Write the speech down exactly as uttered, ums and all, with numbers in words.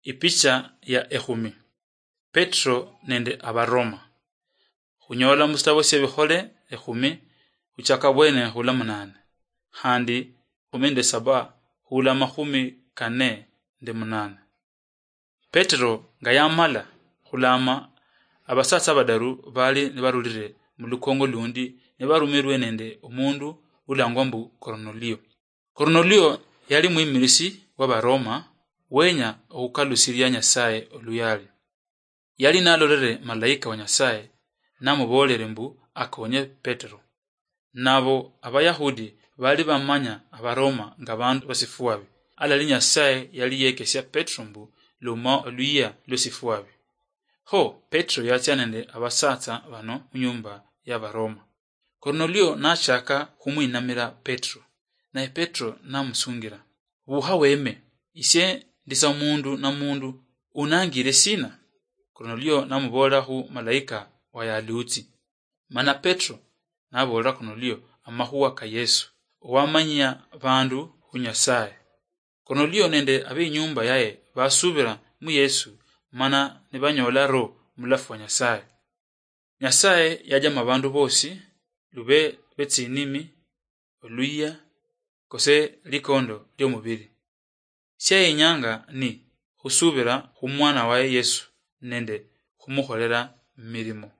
Ipicha ya ekhumi. Petro nende Abaroma. Khunyola musitabo siebikhole ekhumi, khuchaka bwene khula munane, khandi khumi nende saba khula makhumi kane nende munane. Petro nga yamala khulama, abasatsa badaru bali nibarulire mulukongo lundi, nibarumirwe nende omundu ulangwa mbu Kornelio. Kornelio yali mwimirisi wa Baroma, wenya okhukalusiria Nyasaye oluyali. Yali nalolere malaika wa Nyasaye, namuboolere mbu akonye Petero. Nabo Abayahudi bali bamanya Abaroma nga bandu basifuabi. Alali Nyasaye yali yekesia Petero mbu luma oluyia lwesifuabi. Kho Petero yatsia nende abasatsa bano munyumba ya Baroma. Kornelio nachaka khumwinamira Petero, naye Petero namusungira, "Bukha weme, isie ndi sa mundu na mundu, unangire sina?" Kornelio namuboolera khu malaika wa yalutsi. Mana Petero naboolera Kornelio amakhuwa ka Yesu, owamanyia bandu khu Nyasaye. Kornelio nende abeinyumba yaye basubira mu Yesu, mana nibanyoola Roho mulafu wa Nyasaye. Nyasaye yajama abandu bosi, lube betsinimi, oluyia, kose likondo liomubiri. Siayenyanga ni khusubira khumwana waye Yesu nende khumukholela mirimo.